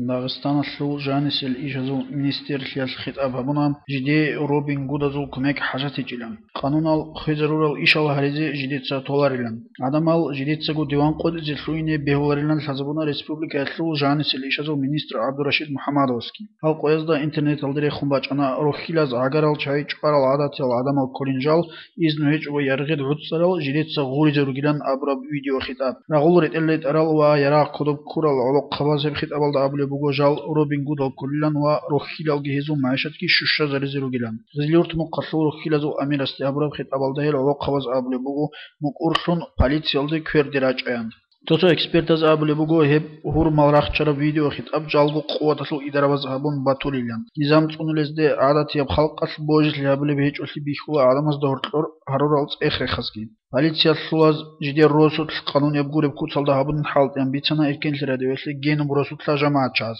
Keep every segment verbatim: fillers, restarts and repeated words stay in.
Дагъистаналъул жанисел ишазул министрлъиялъ хитӀаб гьабуна, жидее Робин Гудазул кумек хӀажатичӀилан. Къанунал хвезарурал ишал гьаризе жидеца толарилан. Гьадамал жидецаго диван къотӀизе лъугьине бегьуларилан лъазабуна республикаялъул жанисел ишазул министр ГӀабдурашид МухӀаммадовасги. Гьал къоязда интернеталде рехун бачӀана рохьилаз гӀагарал чагӀи чӀварал гӀадатиял гӀадамал кколин жал, изну гьечӀого яргъид гӀуцӀарал жидеца гъуризе ругилан абураб видеохитӀаб. Рагъул ретӀел ретӀарал ва ярагъ кодоб ккурал гӀолохъабаз гьеб хитӀабалда абулеб буго жал Робин Гудал кколилан ва рохьилалги гьезул магӀишатги щущазаризе ругилан. Гъизлиюрт мухъалъул рохьилазул амирасде абураб хитӀабалда гьел гӀолохъабаз абулеб буго мукӀурлъун полициялде кверде рачӀаян. Цо-цо экспертаз абулеб буго гьеб гьурмал рахчараб видеохитӀаб жалго къуваталъул идарабаз гьабун батулилан. Низам цӀунулезде гӀадатияб халкъалъ божилъи гьабулеб гьечӀолъи бихьула гӀадамазда гьоркьор гьарурал цӀех-рехазги. Полициялъулаз жидер росулъ къанунияб гуреб куцалда гьабунин хӀалтӀиян бицана Эркенлъи радиоялъе гьениб росулъа жамагӀатчагӀаз.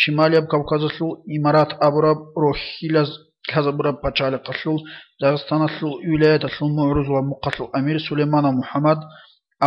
Шималияб Кавказалъул Имарат абураб рохьилаз лъазабураб пачалихъалъул Дагъистаналъул вилаяталъул мугӀрузул ва мухъалъул амир Сулейманов МухӀаммад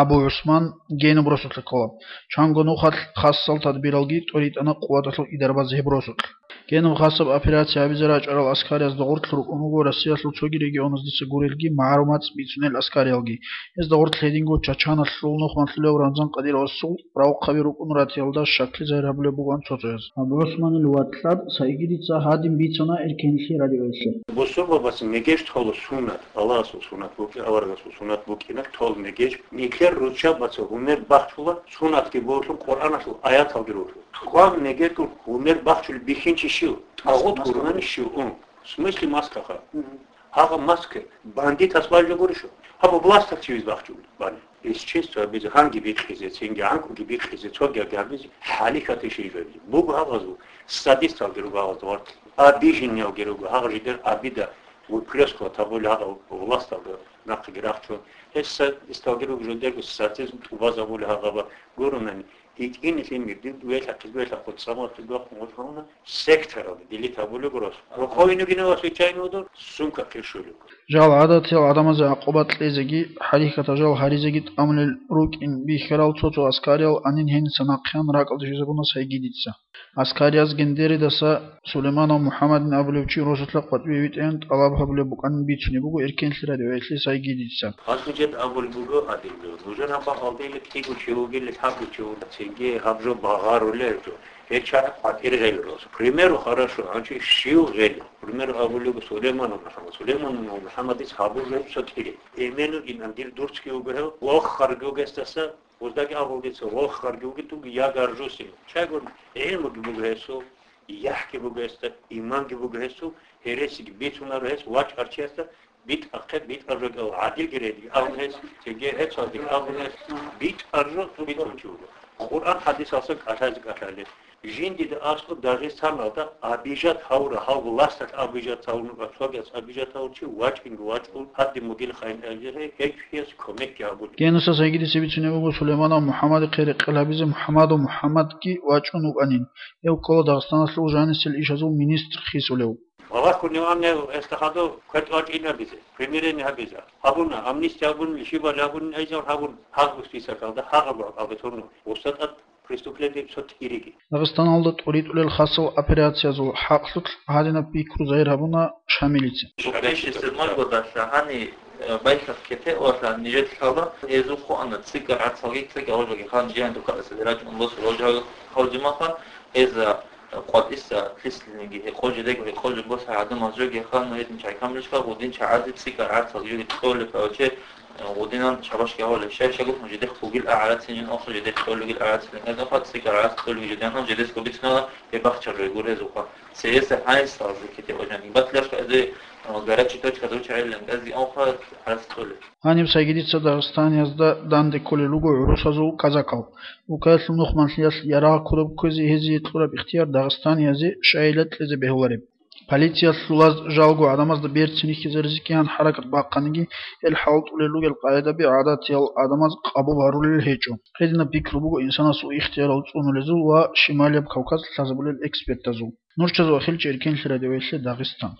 Абу ГӀусман гьениб росулъа ккола. Чанго нухалъ хасал тадбиралги тӀоритӀана къуваталъул идарабаз гьеб росулъ. Гьениб хасаб операция гьабизе рачӀарал аскариязда гъорлъ рукӀун руго Россиялъул цоги регионаздаса гурелги, магӀарумат бицунел аскариялги. Гьезда гъорлъ гьединго Чачаналъул нухмалъулев Рамзан Кадировасул равхъаби рукӀун ратиялда щаклъи загьир гьабулеб бугоан цо-цояз. Абу ГӀусманил вацлъаб Сайгидица гьадин бицана Эркенлъи радиоялъе. Бусурбабаца мегеж тола суннат, Аллагьасул суннат букӀи, аварагасул суннат букӀина тол мегеж. Нилъер руччабаца гьумер бахчула, суннатги бугьулъул, Къуръаналъул аяталги ругьулъул. Хван мегерго гьумер бахчулеб бихьинчи щив? ТӀагъут гурони щив ун? В смысле маскаха? Гьагъа маска бандитас бажа гурищ? Гьаб власталъ чивез бахчулеб бани? Бесчинство гьабизе, гьанги бикъизе, цинги гӀанкӀуги бикъизе, цоги гьабизе, хӀалихьатищ жиб гьабизе? Буго гьаб гьазул, садисталги руго гьаб гьазул вартлъи. Обиженныйалги руго, гьагъ жидер обида выплёскивать гьабули гьагъа власталда нахъеги рахчун. Гьес садисталги руго жидерго садизм тӀубазабули гьагъаба гуронани. ГьитӀинилъи мир, дир дуялъахъе, дуялъахъе цӀамалъи дуахъун вачӀуна, сектаралда дилит гьабулеб рос. Роховинугина ва случайно удур, сумка хъиршулеб. Жал гӀадатиял гӀадамазе гӀакъуба кьезеги, хӀарихьатал жал гьаризеги тӀамулел рукӀин бихьарал цо-цо аскариял анин гьениса нахъеян ракӀалде щвезабуна Сайгидица. Аскарияз Гендеридаса Сулейманов МухӀаммадин абулев чи росулъа къватӀиве витӀеян тӀалаб гьабулеб букӀанин бицунеб буго Эркенлъи радиоялъе Сайгидица. Гьанже жед абулеб буго гьадинго, нужер гьаб бакъалдейилан кӀиго чи вугилан, лъабго чи вугилан, цинги гьаб жо багъарулел жо. Гьел чагӀи къватӀир гъел рос. К примеру, хорошо, гьанже щив гъел? К примеру, абулеб буго Сулейманов МухӀаммад. Сулейманов МухӀаммадица гьабур жо гьеб цо тӀире. Эмену инан дир дурцги вуго гьев, вохарги вуго гьесдаса, гъоздаги абулеб дица, вохарги вуго дуги ягар жо син. Чагун гӀилмуги буго гьесул, яхӀги буго гьесда, иманги буго гьесул, гьересиги бицунаро гьес вачӀарчиясда, битӀахъе, битӀараб жо кӀал гӀадилги рейдги абун гьес, цинги гьецалдеги абун гьес, битӀараб жо бицун чи вуго. Къуръан хӀадисалсан кӀалъазе кӀалъалел. Жиндида аскӀоб Дагъистаналда обижать гьавура, гьав власталъ обижать гьавун, цогияс обижать гьавун чи вачӀинги вачӀун, гьадин мугил хайин абизе, гьечӀ чияс кумекги гьабулеб. Гьениса Сайгидица бицунеб буго Сулейманов МухӀаммадихъе рекъел гьабизе МухӀаммадов МухӀаммадги вачӀун вукӀанин. Гьев ккола Дагъистаналъул жанисел ишазул министр хисулев. Балагьун гьев гьанив гьесда хадув квер тӀвачӀин гьабизе, примирение гьабизе. Гьабуна, амнистия гьабуна, лишибали гьабуна, гьезал гьабун, гьагъ списокалда гьагъаб абетурну. УстатӀад преступлениеби цо тӀириги. Дагъистаналда тӀуритӀулел хасал операциязул хӀакълъулъ гьадинаб пикру загьир гьабуна Шамилица. Шукрищи сирмал годалъа гьани, э, байхъат кете валъа нижер лъала, гьезул хъуана цӀикӀкӀар гӀацалги, цӀикӀкӀар гъожалги хан жигьан духъаласаде рачӀун босур гъожал гъавжимаха, гьеза, э, къватӀиса лъислъиниги гьекъо жидеги гьекъо жо боса гӀадамаз жоги хан гьедин чай камлъишха гъудин чагӀазе цӀикӀкӀар гӀацал жоги кьолеб авче. Гъудинан шабашги гьавалеб, щай-щай гурони жидехъ бугил агӀарацинин, охъа жидехъ кьолигил агӀарацинин, гьезухъа цӀикӀкӀар гӀарац кьолиги жидехъан жидесго бицунала, гьеб бахчарай гурезухъа. Цееса гьанисалазе ккетеб вачани. Батлашка эзе, а, горячий точка звучали, гази охъа гӀарац кьолеб. Гьаниб Сайгидица Дагъистаниязда данде кколел руго гӀурусазул казакал. Улкаялъул нухмалъиялъ ярагъ кодоб кквезе гьезие кьураб ихтияр Дагъистаниязе щайила кьезе бегьулареб. Полициялъулаз жалго гӀадамазда берцин рихьизаризе кигьан хӀаракат бахъаниги, гьел хӀалтӀулел ругел къагӀидаби гӀадатиял гӀадамаз къабул гьарулел гьечӀо. Гьединаб пикру буго инсанасул ихтиярал цӀунулезул ва Шималияб Кавказ лъазабулел экспертазул. Нурчазул Ахилчи, Эркенлъи радиоялъе Дагъистан.